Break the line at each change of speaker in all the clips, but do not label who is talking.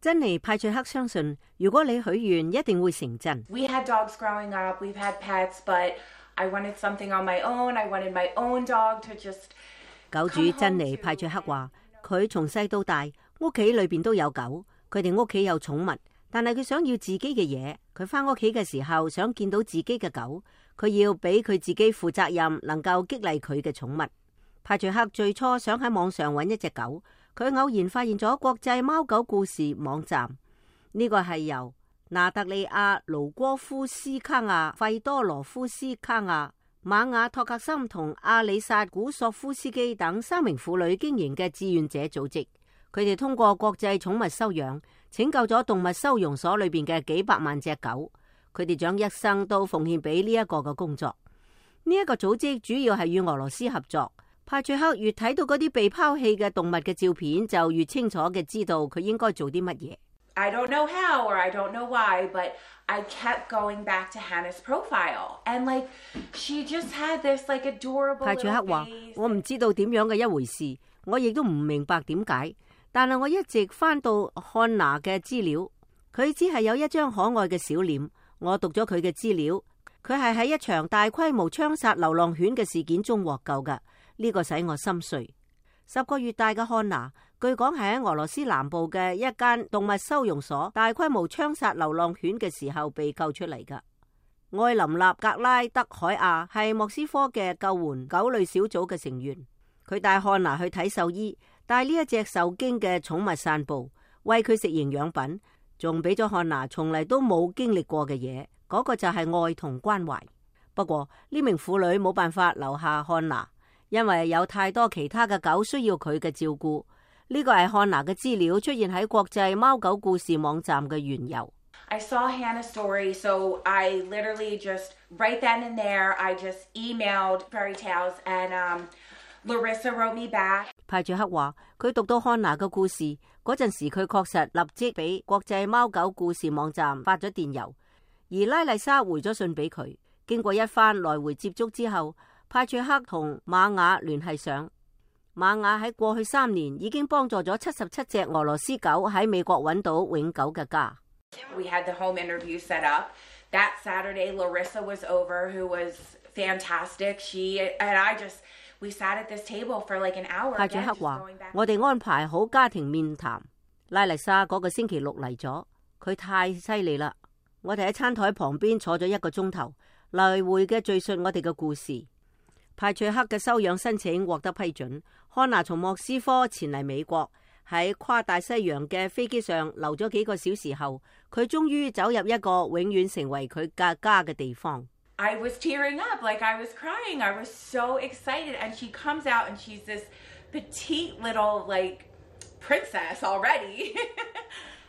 珍妮派翠克相信，如果你許願，一定會成真。
We had dogs growing up, we've had pets, but I wanted something on my own. I wanted my own dog to just.
狗主珍妮派翠克話，佢從細到大，屋企裏邊都有狗，佢哋屋企有寵物，但係佢想要自己嘅嘢。佢返屋企嘅時候，想見到自己嘅狗，佢要俾佢自己負責任，能夠激勵佢嘅寵物。派翠克最初想喺網上揾一隻狗。佢偶然發現咗國際貓狗故事網站，呢個係由娜特利亞盧戈夫斯卡亞、費多羅夫斯卡亞、瑪雅托克森同阿里薩古索夫斯基等3名婦女經營嘅志願者組織。佢哋通過國際寵物收養，拯救咗動物收容所裏邊嘅幾百萬隻狗。佢哋將一生都奉獻俾呢一個嘅工作。呢一個組織主要係與俄羅斯合作。派翠克越睇到嗰啲被拋棄嘅動物嘅照片，就越清楚嘅知道佢應該做啲乜嘢。
I don't know how or I don't know why, but I kept going back to Hannah's profile, and like she just had this like adorable.
派翠克話：我唔知道點樣嘅一回事，我亦都唔明白點解，但係我一直翻到漢娜嘅資料，佢只係有一張可愛嘅小臉。我讀咗佢嘅資料，佢係喺一場大規模槍殺流浪犬嘅事件中獲救噶。呢個使我心碎。10個月大嘅漢娜，據講係喺俄羅斯南部嘅一間動物收容所大規模槍殺流浪犬嘅時候被救出嚟噶。艾琳納格拉德海亞係莫斯科嘅救援狗類小組嘅成員，佢帶漢娜去睇獸醫，帶呢一隻受驚嘅寵物散步，餵佢食營養品，仲俾咗漢娜從嚟都冇經歷過嘅嘢，嗰個就係愛同關懷。不過呢名婦女冇辦法留下漢娜，因為有太多其他嘅狗需要佢嘅照顧。呢個係漢娜嘅資料出現喺國際貓狗故事網站嘅緣由。
I saw Hannah's story, so I literally just right then and there, I just emailed Fairy Tales, and Larissa wrote me back.
派翠克話：佢讀到漢娜嘅故事嗰陣時，佢確實立即俾國際貓狗故事網站發咗電郵，而拉麗莎回咗信俾佢。經過一番來回接觸之後，派翠克同瑪雅聯繫上。瑪雅喺過去3年已經幫助咗77隻俄羅斯狗喺美國揾到永久嘅家。
We had the home interview set up. That Saturday, Larissa was over, who was fantastic. She and I we sat at this table for like an hour.
派翠克話：我哋安排好家庭面談。拉麗莎嗰個星期6嚟咗，佢太犀利啦！我哋喺餐台旁邊坐咗1個鐘頭，來回嘅敘述我哋嘅故事。派翠克嘅收養申請獲得批准，漢娜從莫斯科前嚟美國，喺跨大西洋嘅飛機上留咗幾個小時後，佢終於走入一個永遠成為佢嘅家嘅地方。
I was tearing up, like I was crying. I was so excited, and she comes out and she's this petite little like princess already.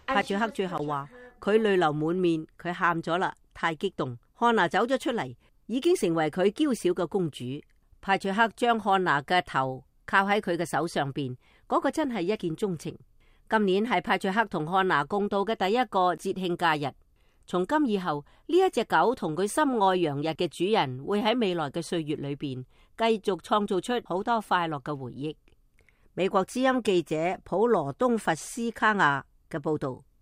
派翠克最後話：佢淚流滿面，佢喊咗啦，太激動。漢娜走咗出嚟，已經成為佢嬌小嘅公主。派翠克將漢娜嘅頭靠喺佢嘅手上邊，嗰個真係一見鍾情。今年係派翠克同漢娜共度嘅第一個節慶假日。從今以後，呢一隻狗同佢心愛洋溢嘅主人會喺未來嘅歲月裏邊繼續創造出好多快樂嘅回憶。美國之音記者普羅東弗斯卡亞嘅報道。